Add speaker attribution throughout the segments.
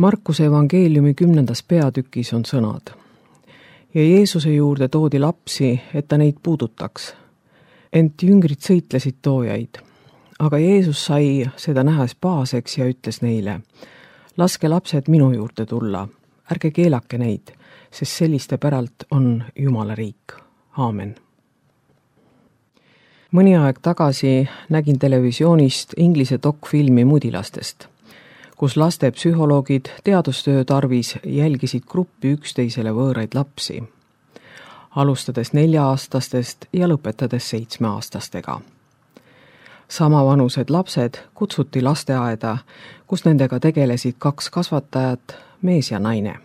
Speaker 1: Markuse evangeeliumi 10. peatükis on sõnad. Ja Jeesuse juurde toodi lapsi, et ta neid puudutaks. Ent jüngrid sõitlesid toojaid. Aga Jeesus sai seda nähes pahaseks ja ütles neile, laske lapsed minu juurde tulla, ärge keelake neid, sest selliste päralt on Jumala riik. Aamen. Mõni aeg tagasi nägin televisioonist Inglise dokfilmi mudilastest, kus laste psühholoogid teadustöö tarvis jälgisid gruppi üksteisele võõraid lapsi, alustades 4-aastastest ja lõpetades 7-aastastega. Samavanused lapsed kutsuti lasteaeda, kus nendega tegelesid 2 kasvatajat, mees ja naine.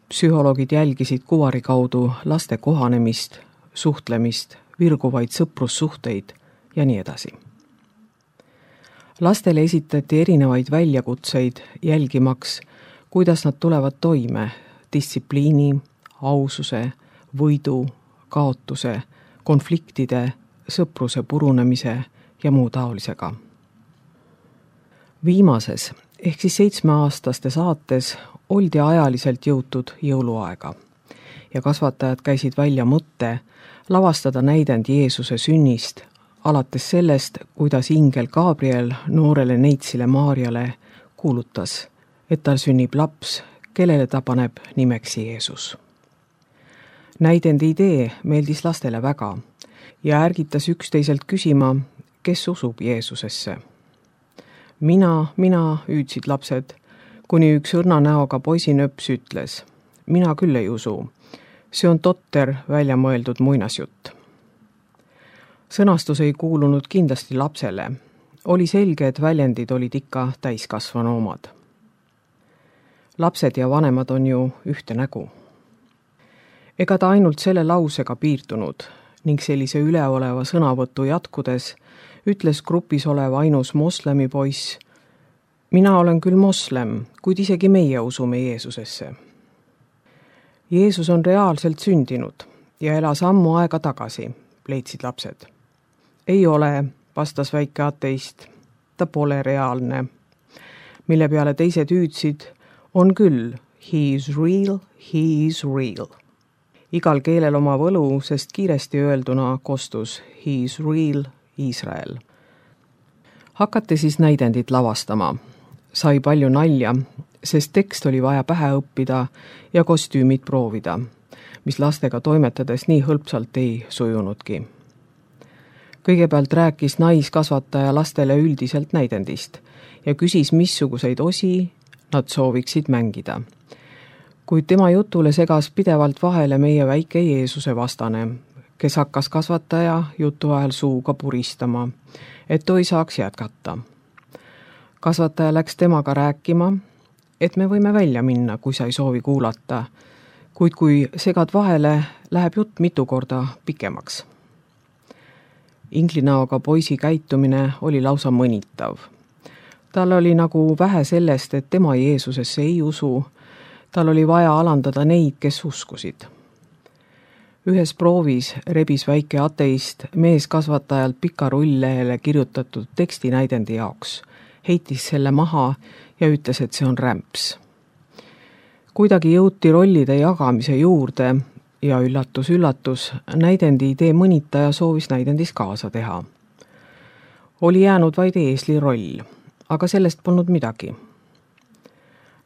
Speaker 1: Psühholoogid jälgisid kuvari kaudu laste kohanemist, suhtlemist, virguvaid sõprussuhteid ja nii edasi. Lastele esitati erinevaid väljakutseid jälgimaks, kuidas nad tulevad toime distsipliini, aususe, võidu, kaotuse, konfliktide, sõpruse purunemise ja muu taolisega. Viimases ehk siis 7-aastaste saates oldi ajaliselt jõutud jõuluaega ja kasvatajad käisid välja mõtte lavastada näidend Jeesuse sünnist, alates sellest, kuidas ingel Gabriel noorele neitsile Maarjale kuulutas, et tal sünnib laps, kellele ta paneb nimeks Jeesus. Näidendi idee meeldis lastele väga ja ärgitas üksteiselt küsima, kes usub Jeesusesse. Mina, hüüdsid lapsed, kuni üks õrna näoga poisinöps ütles, mina küll ei usu, see on totter välja mõeldud muinasjutt. Sõnastus ei kuulunud kindlasti lapsele. Oli selge, et väljendid olid ikka täiskasvanu omad. Lapsed ja vanemad on ju ühte nägu. Ega ta ainult selle lausega piirdunud ning sellise üleoleva sõnavõtu jatkudes ütles grupis olev ainus moslemi poiss, mina olen küll moslem, kuid isegi meie usume Jeesusesse. Jeesus on reaalselt sündinud ja elas ammu aega tagasi, leidsid lapsed. Ei ole, vastas väike ateist, ta pole reaalne. Mille peale teised hüüdsid, on küll, he is real. Igal keelel oma võlu, sest kiiresti öelduna kostus he is real Iisrael. Hakati siis näidendit lavastama. Sai palju nalja, sest tekst oli vaja pähe õppida ja kostüümid proovida, mis lastega toimetades nii hõlpsalt ei sujunudki. Kõigepealt rääkis naiskasvataja lastele üldiselt näidendist ja küsis, missuguseid osi nad sooviksid mängida. Kuid tema jutule segas pidevalt vahele meie väike Jeesuse vastane, kes hakkas kasvataja jutu ajal suuga puristama, et toi saaks jätkata. Kasvataja läks temaga rääkima, et me võime välja minna, kui sa ei soovi kuulata, kuid kui segad vahele, läheb jutt mitu korda pikemaks. Inglinäoga poisi käitumine oli lausa mõnitav. Tal oli nagu vähe sellest, et tema Jeesusesse ei usu, tal oli vaja alandada neid, kes uskusid. Ühes proovis rebis väike ateist mees kasvatajalt pika rulllehele kirjutatud tekstinäidendi jaoks, heitis selle maha ja ütles, et see on rämps. Kuidagi jõuti rollide jagamise juurde ja üllatus, näidendi idee mõnitaja soovis näidendis kaasa teha. Oli jäänud vaid eesli roll, aga sellest polnud midagi.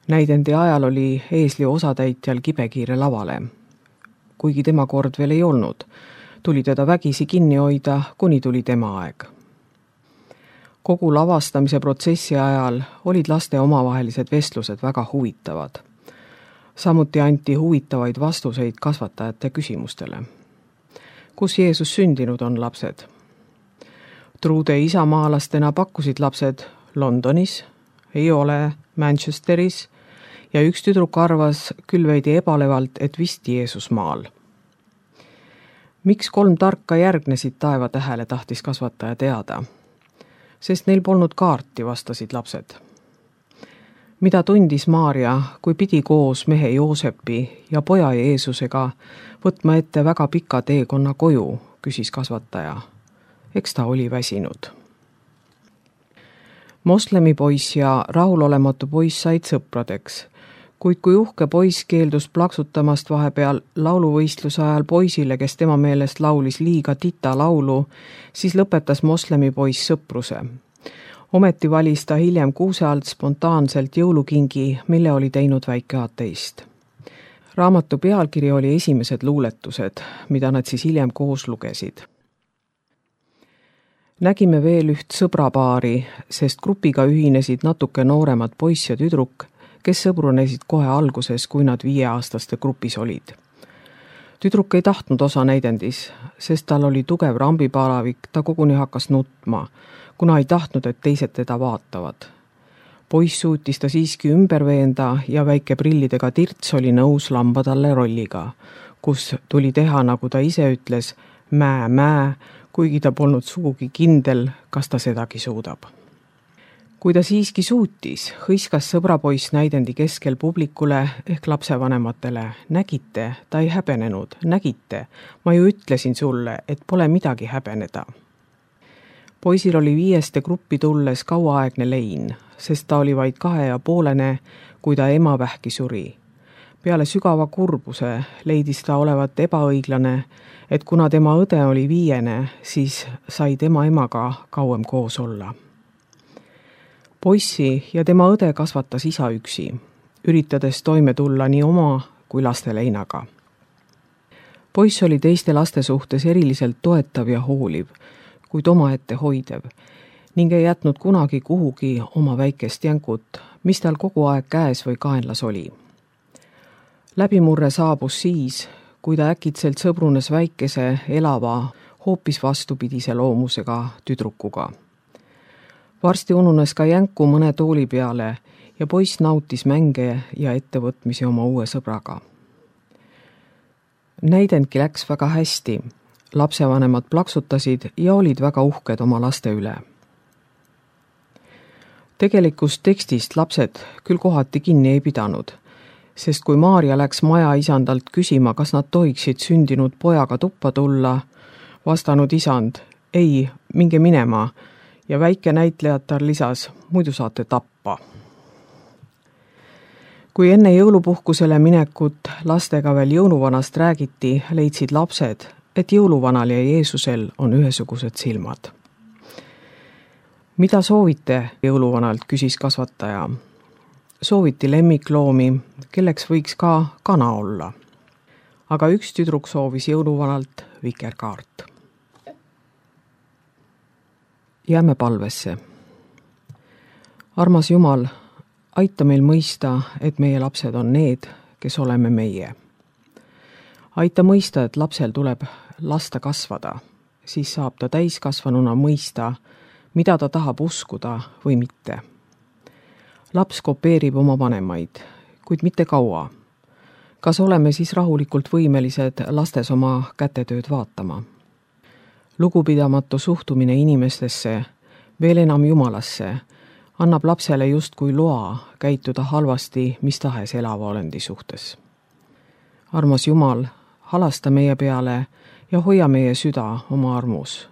Speaker 1: Näidendi ajal oli eesli osatäitjal kibekiire lavale. Kuigi tema kord veel ei olnud, tuli teda vägisi kinni hoida, kuni tuli tema aeg. Kogu lavastamise protsessi ajal olid laste omavahelised vestlused väga huvitavad. Samuti anti huvitavaid vastuseid kasvatajate küsimustele. Kus Jeesus sündinud on lapsed? Truude isamaalastena pakkusid lapsed Londonis, ei ole Manchesteris ja üks tüdruk arvas küll veidi ebalevalt, et vist Jeesus maal. Miks 3 tarka järgnesid taevatähele, tahtis kasvataja teada? Sest neil polnud kaarti, vastasid lapsed. Mida tundis Maarja, kui pidi koos mehe Joosepi ja poja Jeesusega võtma ette väga pika teekonna koju, küsis kasvataja. Eks ta oli väsinud. Moslemi poiss ja rahulolematu poiss said sõpradeks, kuid kui uhke poiss keeldus plaksutamast vahepeal lauluvõistluse ajal poisile, kes tema meelest laulis liiga tita laulu, siis lõpetas moslemi poiss sõpruse. Ometi valis ta hiljem kuuse alt spontaanselt jõulukingi, mille oli teinud väike ateist. Raamatu pealkiri oli Esimesed luuletused, mida nad siis hiljem koos lugesid. Nägime veel üht sõbrapaari, sest grupiga ühinesid natuke nooremad poiss ja tüdruk, kes sõbrunesid kohe alguses, kui nad 5-aastaste grupis olid. Tüdruk ei tahtnud osa näidendis, sest tal oli tugev rambipalavik, ta koguni hakkas nutma, kuna ei tahtnud, et teised teda vaatavad. Poiss suutis ta siiski ümber veenda ja väike prillidega tirts oli nõus lamba talle rolliga, kus tuli teha, nagu ta ise ütles, mää, kuigi ta polnud sugugi kindel, kas ta sedagi suudab. Kui ta siiski suutis, hõiskas sõbrapoiss näidendi keskel publikule ehk lapsevanematele. Nägite, ta ei häbenenud, nägite, ma ju ütlesin sulle, et pole midagi häbeneda. Poisil oli 5. gruppi tulles kauaaegne lein, sest ta oli vaid 2,5, kui ta ema vähki suri. Peale sügava kurbuse leidis ta olevat ebaõiglane, et kuna tema õde oli 5, siis sai tema emaga kauem koos olla. Poissi ja tema õde kasvatas isa üksi, üritades toime tulla nii oma kui laste leinaga. Poiss oli teiste laste suhtes eriliselt toetav ja hooliv, kuid omaette hoidev, ning ei jätnud kunagi kuhugi oma väikest jänkut, mis tal kogu aeg käes või kaenlas oli. Läbimurre saabus siis, kui ta äkitselt sõbrunes väikese, elava, hoopis vastupidise loomusega tüdrukuga. Varsti ununes ka jänku mõne tooli peale ja poiss nautis mänge ja ettevõtmisi oma uue sõbraga. Näidendki läks väga hästi. Lapsevanemad plaksutasid ja olid väga uhked oma laste üle. Tegelikust tekstist lapsed küll kohati kinni ei pidanud, sest kui Maarja läks maja isandalt küsima, kas nad tohiksid sündinud pojaga tuppa tulla, vastanud isand, ei, minge minema, ja väike näitlejatar lisas, muidu saate tappa. Kui enne jõulupuhkusele minekut lastega veel jõuluvanast räägiti, leidsid lapsed, et jõuluvanal ja Jeesusel on ühesugused silmad. Mida soovite jõuluvanalt, küsis kasvataja. Sooviti lemmikloomi, kelleks võiks ka kana olla. Aga üks tüdruk soovis jõuluvanalt vikerkaart. Jääme palvesse. Armas Jumal, aita meil mõista, et meie lapsed on need, kes oleme meie. Aita mõista, et lapsel tuleb lasta kasvada, siis saab ta täiskasvanuna mõista, mida ta tahab uskuda või mitte. Laps kopeerib oma vanemaid, kuid mitte kaua. Kas oleme siis rahulikult võimelised lastes oma kätetööd vaatama? Lugupidamatu suhtumine inimestesse, veel enam Jumalasse, annab lapsele justkui loa käituda halvasti mis tahes elava olendi suhtes. Armas Jumal, halasta meie peale ja hoia meie süda oma armus.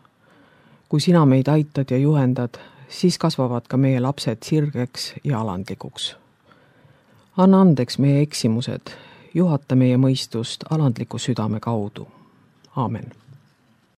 Speaker 1: Kui sina meid aitad ja juhendad, siis kasvavad ka meie lapsed sirgeks ja alandlikuks. Anna andeks meie eksimused, juhata meie mõistust alandliku südame kaudu. Aamen.